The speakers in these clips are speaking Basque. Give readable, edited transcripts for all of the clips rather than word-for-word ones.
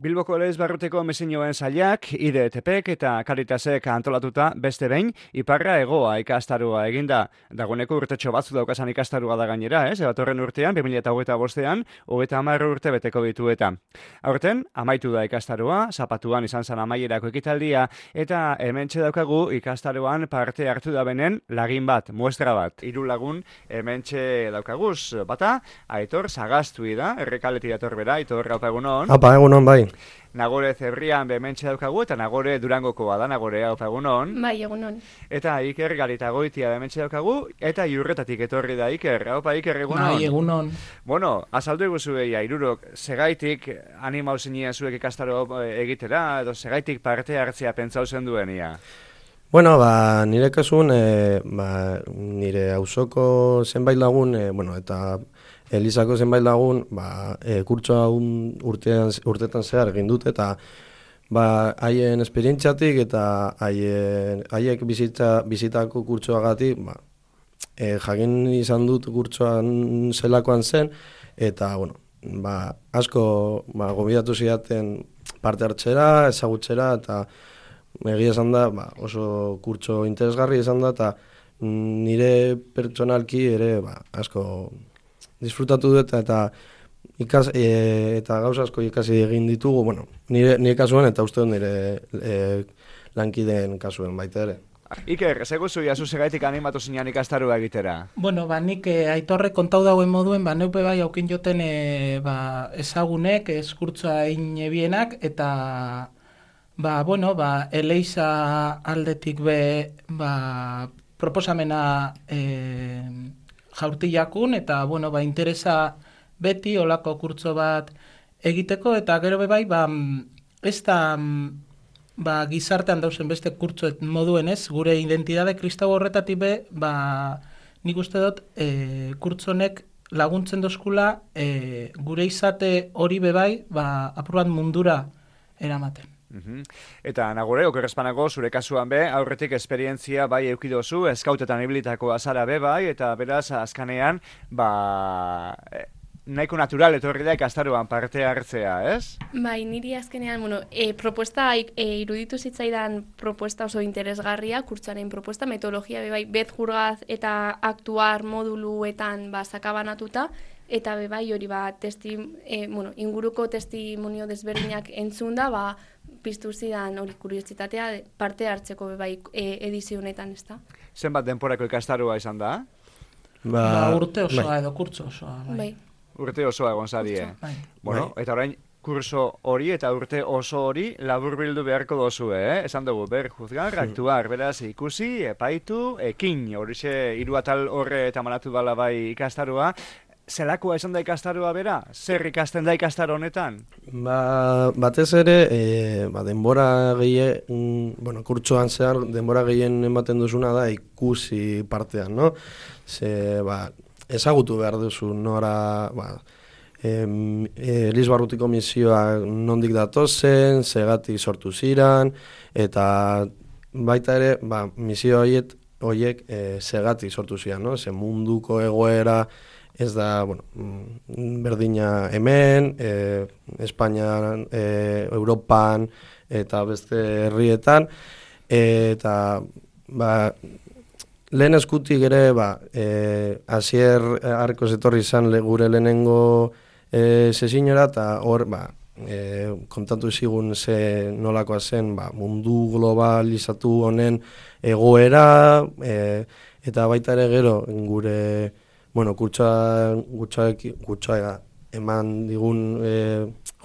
Bilboko Elizbarruteko mesinioen sailak, IDTPek eta Caritasek antolatuta beste behin, iparra egoa ikastarua eginda. Dagoeneko urtetxo batzu daukasan ikastarua da gainera, ez? Ebatorren urtean, 2025ean, 30 urte beteko ditu eta. Aurten, amaitu da ikastarua, zapatuan izan zan amaierako ekitaldia, eta hementxe daukagu ikastaruan parte hartu da benen lagin bat, muestra bat. 3 lagun hementxe daukaguz, bata, Aitor Sagastui da, Errekaleti dator bera, Aitor, haupa egunon. Apa, egunon, bai. Nagore Zebrian bementxe daukagu eta Nagore Durangokoa da, Nagore haupa egunon. Bai, egunon. Eta Iker Garitagoitia bementxe daukagu, eta Iurretatik etorri da Iker. Haupa Iker, egunon. Bai, egunon. Bueno, azaldu eguzu egia, irurok, segaitik animau zinien zuek ikastaro egitera, edo segaitik parte hartzea pentsau zen duenia? Bueno, nire kasuan, nire auzoko zenbait lagun, eta Elizako zenbait lagun, kurtsoa urtetan zehar egin dut, eta haien esperientziatik eta haiek bizitako kurtsoagatik, jakin izan dut kurtsoan zelakoan zen, eta, asko gomidatu zidaten parte hartzera, ezagutzera, eta egia esan da, oso kurtso interesgarri izan da, eta nire pertsonalki ere, asko disfrutatu dut eta gauza asko ikasi egin ditugu, nire kasuen eta uste nire lankideen kasuen baita ere. Iker, seguzu jasu segaitik animatu zinean ikastarua egitera? Bueno, nik Aitorrek kontau dauen moduen, neupe bai aukin joten ezagunek, eskurtzoa inebienak, eta Eleiza aldetik proposamena jaurtiakun, eta interesa beti olako kurtso bat egiteko, eta gero bai, ez da gizartean dauzen beste kurtso moduen ez, gure identidade kristau horretatik nik uste dut kurtsonek laguntzen dozkula gure izate hori bai, apur bat mundura eramaten. Eta Nagore, okerrezpanago, zure kasuan aurretik esperientzia bai eukidozu, eskautetan ibilitako azara bai, eta beraz, azkanean, nahiko natural etorri da ikastaruan parte hartzea, ez? Bai, niri azkenean, propuesta, iruditu zitzaidan propuesta oso interesgarria, kurtsoaren propuesta, metodologia bai, bet-jurgaz eta aktuar moduluetan sakabanatuta, eta bai hori inguruko testimonio desberdinak entzunda, piztu zidan hori kuriositatea parte hartzeko bai edizio honetan, ez da? Zenbat denporako ikastarua izan da? Urte osoa edo kurtso osoa. Bai. Urte osoa egon zarie. Bueno, eta orain kurso hori eta urte oso hori laburbildu beharko dozu, Esan dugu, juzgar, aktuar, beraz ikusi, epaitu, ekin, horixe 3 atal horre eta manatu bala bai ikastarua. Zelakoa esan da ikastarua bera? Zer ikasten da ikastaro honetan? Batez ere, denbora gehien, kurtsoan zehar, denbora gehien ematen duzuna da ikusi partean, no? Ezagutu behar duzu nora, Elizbarrutiko misioa nondik datozen, zegatik sortu ziran, eta baita ere, misio horiek zegatik sortu ziran, no? Ze munduko egoera, ez da, berdina hemen, Espainian, Europan, eta beste herrietan, eta, lehen eskutik ere, Asier Arkoz etorri izan gure lehenengo sesinora, eta hor, kontatu zigun nolakoa zen, mundu globalizatu honen egoera, eta baita ere gero, gure kurtsoa eman digun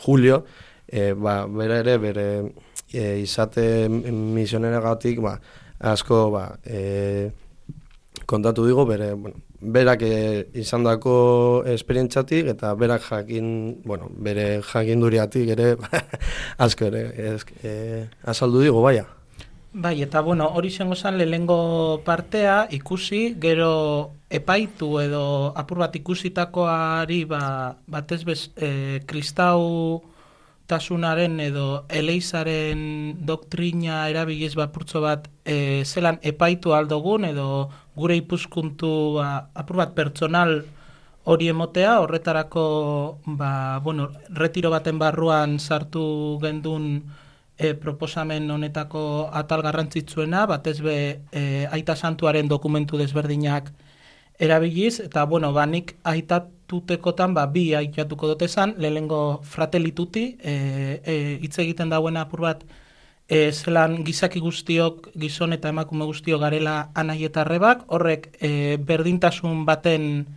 Julio, bere ere, bere izate misioneragatik, asko kontatu digo, berak izandako esperientzatik, eta berak bere jakinduriatik ere, asko ere, azaldu digo, baia. Bai, eta hori zengo zen lehengo partea ikusi, gero epaitu edo apur bat ikusitakoari batez kristau tasunaren edo eleizaren doktrina erabiliz purtso bat zelan epaitu aldogun edo gure ipuskuntu apur bat pertsonal hori emotea, horretarako, retiro baten barruan sartu gendun proposamen honetako atal garrantzitsuena, batez be Aita Santuaren dokumentu desberdinak erabiliz, eta nik aitatutekotan bi aitatuko dut esan, lehenengo Fratelli Tutti, hitz egiten dauen apur bat, zelan gizaki guztiok, gizon eta emakume guztiok garela anai eta arrebak, horrek berdintasun baten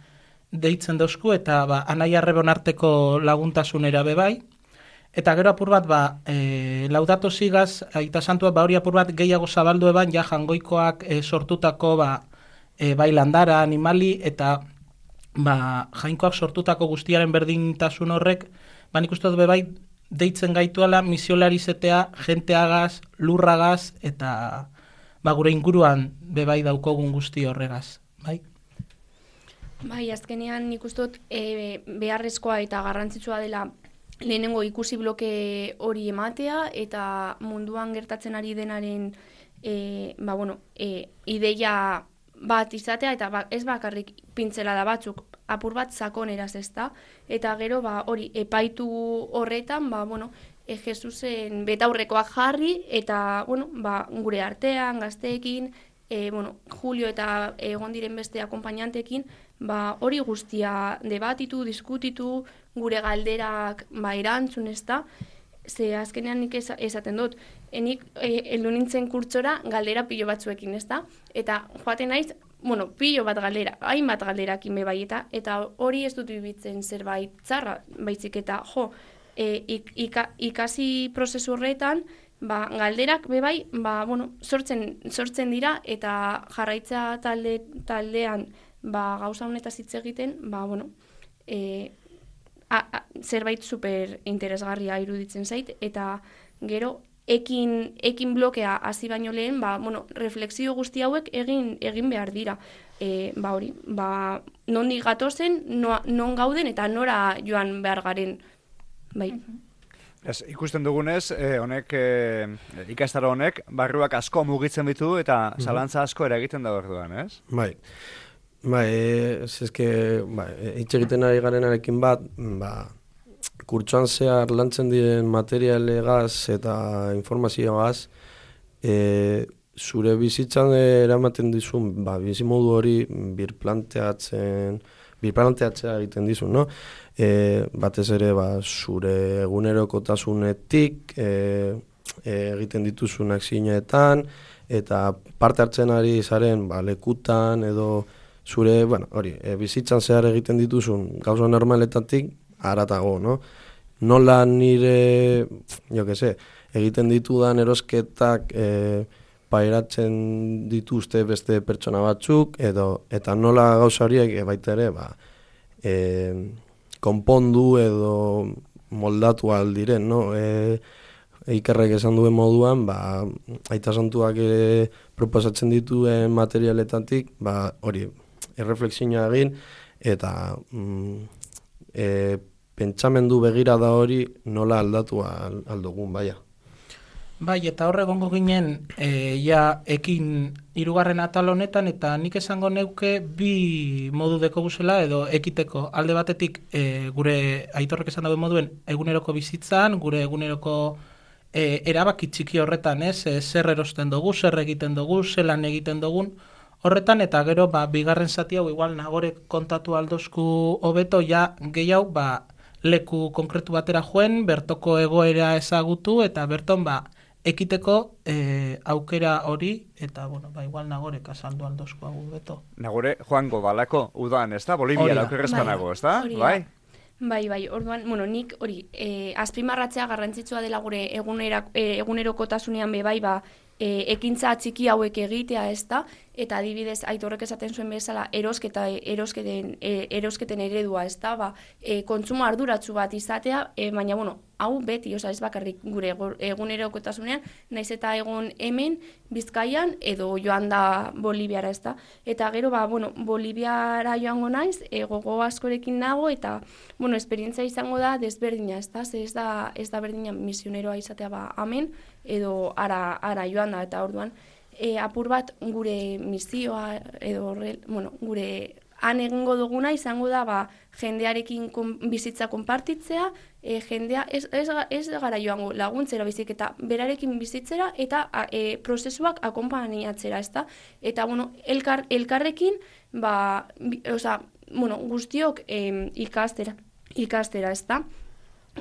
deitzen dozku, eta anai arrebon arteko laguntasunera bebai. Eta gero apur bat, Laudato Sigaz, Aita Santua, hori apur bat gehiago zabaldu eban, ja jangoikoak sortutako, bai landara, animali, eta jainkoak sortutako guztiaren berdintasun horrek, nik uste dut bebai, deitzen gaituala misiolarizetea, jenteagaz, lurragaz, eta gure inguruan bebai daukogun guzti horregaz, bai? Bai, azkenean nik uste dut beharrezkoa eta garrantzitsua dela lehenengo ikusi bloke hori ematea, eta munduan gertatzen ari denaren ideia bat izatea, eta ez bakarrik pintzelada batzuk, apur bat sakoneraz, ezta? Eta gero, hori, epaitu horretan, Jesusen betaurrekoak jarri, eta, gure artean, gazteekin, Julio eta egon diren beste akompainantekin, hori guztia debatitu, diskutitu, gure galderak erantzun, ezta? Ze azkenean nik esaten dut, nik heldu nintzen kurtsora galdera pilo batzuekin, ezta? Eta joaten naiz, pilo bat galdera, hainbat galderakin bebai, eta hori ez dut bibitzen zerbait txarra, baitzik eta ikasi prozesu horretan, galderak bebai, sortzen dira, eta jarraitza taldean gauza honetaz hitz egiten, zerbait super interesgarria iruditzen zait, eta gero ekin blokea hasi baino lehen, reflexio guzti hauek egin behar dira. Hori, nondik gatozen, non gauden eta nora joan behar garen. Bai. Ikusten dugunez, ikastaro honek, barruak asko mugitzen ditu eta zalantza asko eragiten da orduan, ez? Bai, hitz egiten ari garenarekin bat, kurtsoan zehar lantzen diren materialegaz eta informazioagaz, zure bizitzan eramaten dizun, bizimodu hori birplanteatzea egiten dizun, no? Batez ere, zure egunerokotasunetik egiten dituzun akzioetan, eta parte hartzen ari zaren lekutan edo zure, bizitzan zehar egiten dituzun gauza normaletatik haratago, no? Nola nire, egiten ditudan erosketak pairatzen dituzte beste pertsona batzuk, eta nola gauza horiek baita ere, konpondu edo moldatu aldiren, no? Ikerrek esan duen moduan, Aita Santuak proposatzen dituen materialetatik, hori, erreflexioa egin, eta pentsamendu begirada hori nola aldatu aldugun, baia. Bai, eta hor egongo ginen, ekin hirugarren atal honetan, eta nik esango neuke bi modu deko guzela, edo ekiteko alde batetik, gure Aitorrek esan dauen moduen, eguneroko bizitzan, gure eguneroko erabaki txiki horretan, zer erosten dugu, zer egiten dugu, zelan egiten dugun, horretan, eta gero, bigarren zati hau, igual nagorek kontatu aldozku hobeto, gehiago, leku konkretu batera joen, bertoko egoera ezagutu, eta berton, ekiteko aukera hori, eta, igual nagorek azaldu aldozku hau beto. Nagore joango balako udan, ez da? Boliviara aukerrezpanago, ez da? Bai? Bai, orduan, nik hori, azpimarratzea garrantzitsua dela gure egunerokotasunean bebai, ekintza txiki hauek egitea, ez da? Eta adibidez, Aitorrek esaten zuen bezala, erosketen eredua, ez da? Kontsumo arduratsu bat izatea, baina, hau beti, ez bakarrik gure egunerokotasunean, naiz eta egon hemen, Bizkaian, edo joan da Boliviara, ez da? Eta gero, Boliviara joango naiz, gogo askorekin nago, eta, esperientzia izango da desberdina, ez da? Ez da berdina misioneroa izatea hemen, edo ara joan da, eta orduan, apur bat gure misioa, edo gure han egingo duguna izango da jendearekin bizitza konpartitzea, jendea ez gara joango laguntzera bizik eta berarekin bizitzera eta prozesuak akonpainiatzera, ezta? Eta, elkarrekin, guztiok ikastera, ezta?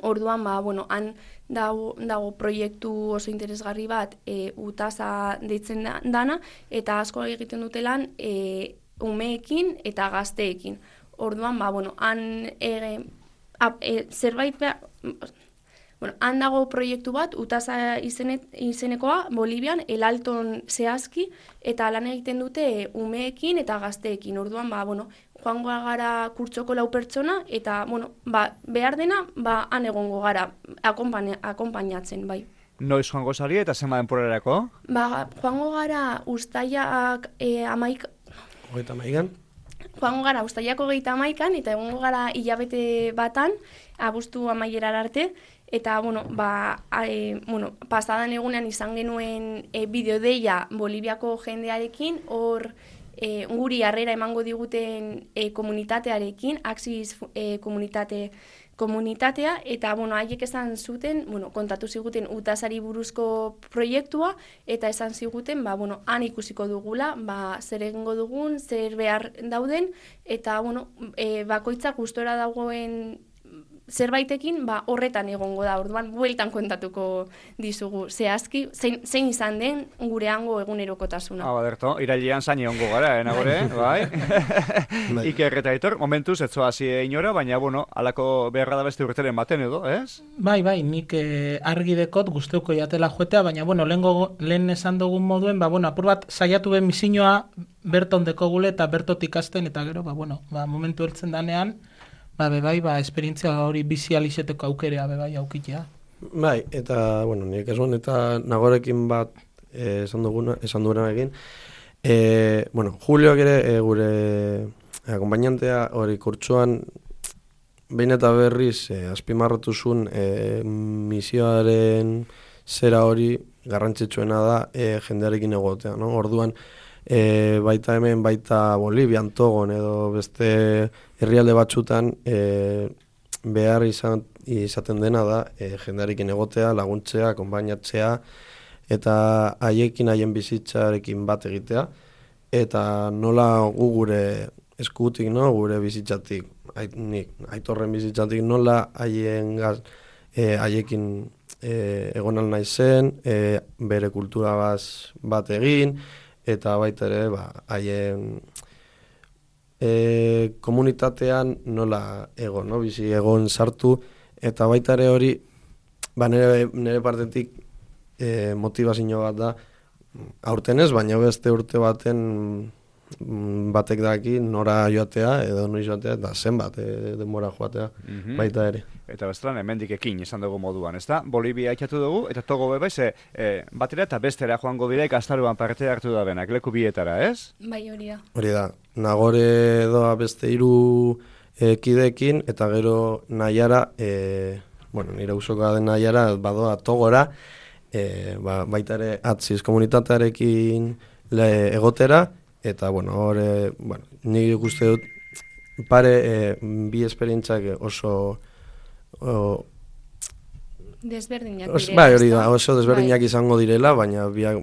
Orduan, han dago proiektu oso interesgarri bat utasa deitzen dana, eta asko egiten dutelan umeekin eta gazteekin. Orduan, han zerbait han dago proiektu bat, utasa izenekoa, Bolivian, El Alton zehazki, eta lan egiten dute umeekin eta gazteekin. Orduan, joango gara kurtsoko 4 pertsona, eta, behar dena, han egongo gara, akonpainatzen, bai. Noiz joango zari eta zenba denporarako? Joango gara ustailak 11. Joango gara ustailako 31, eta egongo gara hilabete batan, abuztu amaierar arte, eta, pasadan egunean izan genuen bideodeia Boliviako jendearekin, hor guri harrera emango diguten komunitatearekin, Axis komunitatea, eta, haiek esan zuten, kontatu ziguten utasari buruzko proiektua, eta esan ziguten, han ikusiko dugula, zer egingo dugun, zer behar dauden, eta, bakoitzak gustora dagoen zerbaitekin, horretan egongo da, orduan bueltan kontatuko dizugu zehazki, zein izan den gure hango egunerokotasuna. Baderto, irailean zain egongo gara, nagore, bai? Iker eta Aitor, momentuz, etzoazi inora, baina, alako beharra da beste urteren baten edo, ez? Bai, nik argi dekot guzteuko jatela joetea, baina, lehen esan dugun moduen, apur bat saiatu ben misioa berton deko gule eta bertotik ikasten, eta gero, momentu ertzen danean, esperientzia hori bizializeteko aukerea aukitea. Bai, eta, nik esan eta nagorekin bat esan duguna egin. Julioak ere gure akompainantea hori kurtsuan behin eta berriz azpimarratu zuen misioaren zera hori garrantzitsuena da jendearekin egotea, no? Orduan, baita hemen, baita Bolivian, Togon edo beste herrialde batzutan behar izaten dena da jendearekin egotea, laguntzea, konbainatzea eta haien bizitzarekin bat egitea eta nola gure eskutik, no? Gure bizitzatik, Aitorren bizitzatik nola haiekin egon al naizen, bere kultura bat egin, eta baita ere, haien komunitatean nola egon, no? Bizi egon sartu, eta baita ere hori, nire partetik motivazio bat da, aurten ez, baina beste urte baten batek daki nora joatea, edo noiz joatea, eta zenbat denbora joatea, baita ere. Eta bestelan, hemendik ekin izan dugu moduan, ezta? Bolivia ikatu dugu, eta Togo beba, batera eta bestera joango dira ikastaruan parte hartu da benak, leku bietara, ez? Bai, hori da. Hori da, Nagore doa beste 3 kideekin, eta gero Naiara, nire usoka den Naiara, badoa Togora, baita ere Axis komunitatearekin egotera, eta, hori, nik ikuste dut, bi esperientzak oso desberdinak direla. Bai, hori da, oso desberdinak izango direla, baina biak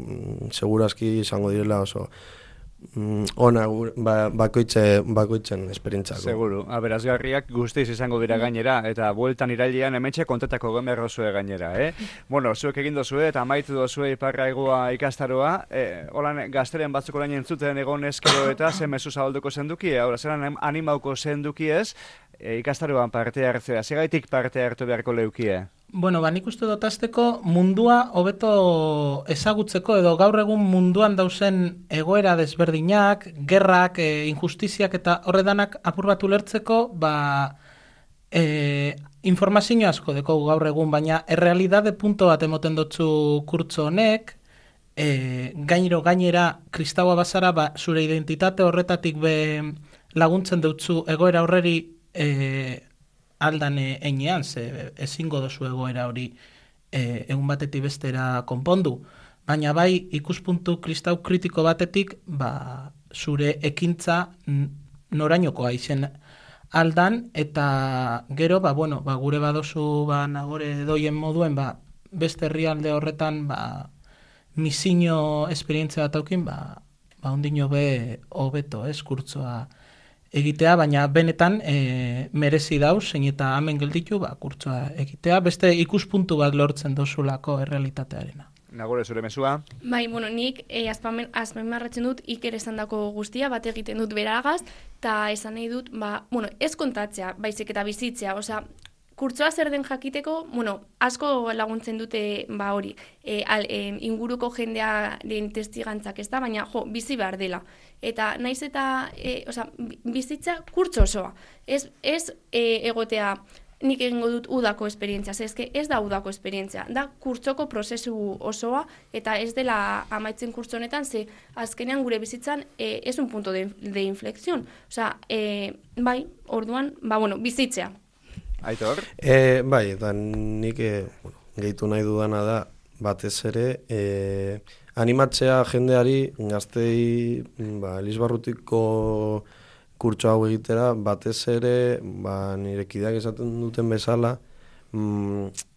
segurazki izango direla oso ona bakoitzen esperientzako. Seguru, aberazgarriak guztiz izango dira gainera, eta bueltan irailean hementxe kontetako gemerrozue gainera, zuek egin dozue eta amaitu dozue Iparra Hegoa ikastaroa, holan gazteren batzuk orain entzuten egon eskero eta ze mezu zabalduko zenduki, zeran animauko zenduki ez, ikastaroan parte hartzea, segaitik parte hartu beharko leukie? Nik uste dut azteko mundua hobeto ezagutzeko edo gaur egun munduan dauzen egoera desberdinak, gerrak, injustiziak eta horredanak apur bat ulertzeko, informazio asko deko gaur egun, baina errealidade punto bat emoten dutzu kurtso honek, gainera kristaua bazara, zure identitate horretatik laguntzen dutzu egoera horreri aldan einean, ezingo dozu egoera hori egun batetik bestera konpondu. Baina bai ikuspuntu kristau kritiko batetik, zure ekintza norainokoa izen aldan, eta gero, bueno, gure badozu nagore doien moduen, beste herrialde horretan, misino esperientzia bat aukin, ondino be hobeto, kurtsoa egitea, baina benetan merezi dauz, zein eta hemen gelditu, kurtsoa egitea, beste ikuspuntu bat lortzen dozulako errealitatearena. Nagore, zure mesua? Bai, nik azpimarratzen dut Iker esandako guztia, bat egiten dut beragaz, eta esan nahi dut, ez kontatzea, baizik eta bizitzea, kurtsoa zer den jakiteko, asko laguntzen dute hori, inguruko jendearen testigantzak ez da, baina bizi behar dela. Eta naiz eta bizitza kurtso osoa. Ez egotea nik egingo dut udako esperientzia, ez da udako esperientzia, da kurtsoko prozesu osoa, eta ez dela amaitzen kurtso honetan, ze azkenean gure bizitzan ez un punto de inflexión. Bai, orduan, bizitzea. Aitor? Bai, eta nik gehitu nahi dudana da, batez ere, animatzea jendeari gaztei Elizbarrutiko kurtso hau egitera, batez ere, nire kideak esaten duten bezala,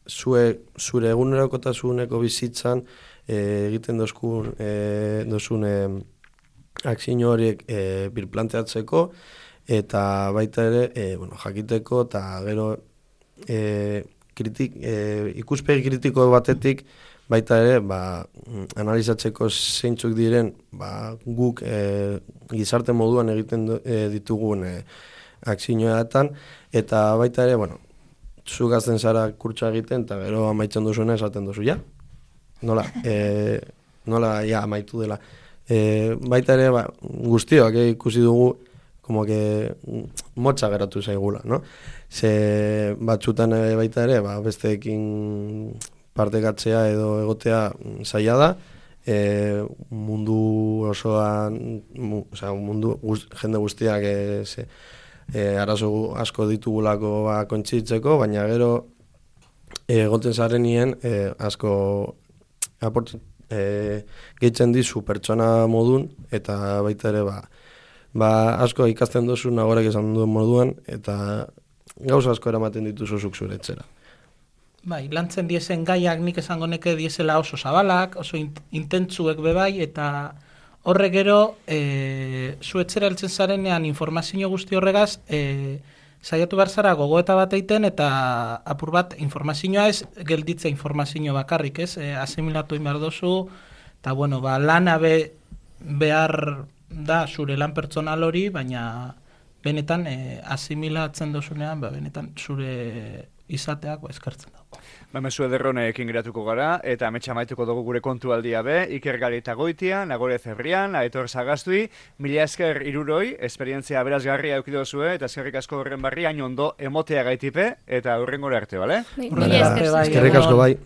zure egunerokotasuneko bizitzan egiten dozun akzio horiek birplanteatzeko, eta baita ere, jakiteko, eta gero ikuspegi kritiko batetik, baita ere, analizatzeko zeintzuk diren, guk gizarte moduan egiten ditugun akzioetan, eta baita ere, zu gazten zara kurtsoa egiten, eta gero amaitzen duzuena esaten duzu, ja? Nola amaitu dela. Baita ere, guztiok ikusi dugu, como que motza geratu zaigula, no? Ze batzutan baita ere, besteekin partekatzea edo egotea zaila da, mundu osoan, jende guztiak arazo asko ditugulako kontzitzeko, baina gero egoten zarenien asko gehitzen dizu pertsona modun, eta baita ere asko ikasten duzu nagorek esan duen moduan, eta gauza asko eramaten dituzu zuk zure etxera. Bai, lantzen diezen gaiak nik esango neke diesela oso zabalak, oso intentzuek bebai, eta horre gero, zu etxera heltzen zarenean informazio guzti horregaz, saiatu behar zara gogoeta bat egiten, eta apur bat informazioa ez gelditza informazio bakarrik, ez? Asimilatu behar dozu, eta lana behar da zure lan pertsonal hori, baina benetan asimilatzen dozunean, benetan zure izateak eskartzen dago. Mezu ederronekin geratuko gara, eta ametsa maituko dugu gure kontualdia be, Iker Garitagoitia, Nagore Zebrian, Aitor Sagastui, mila esker iruroi, esperientzia berazgarria eukidozue, eta eskerrik asko horren barri, hain ondo emotea gaitipe, eta horren gore arte, bale? Mila esker. Eskerrik asko bai.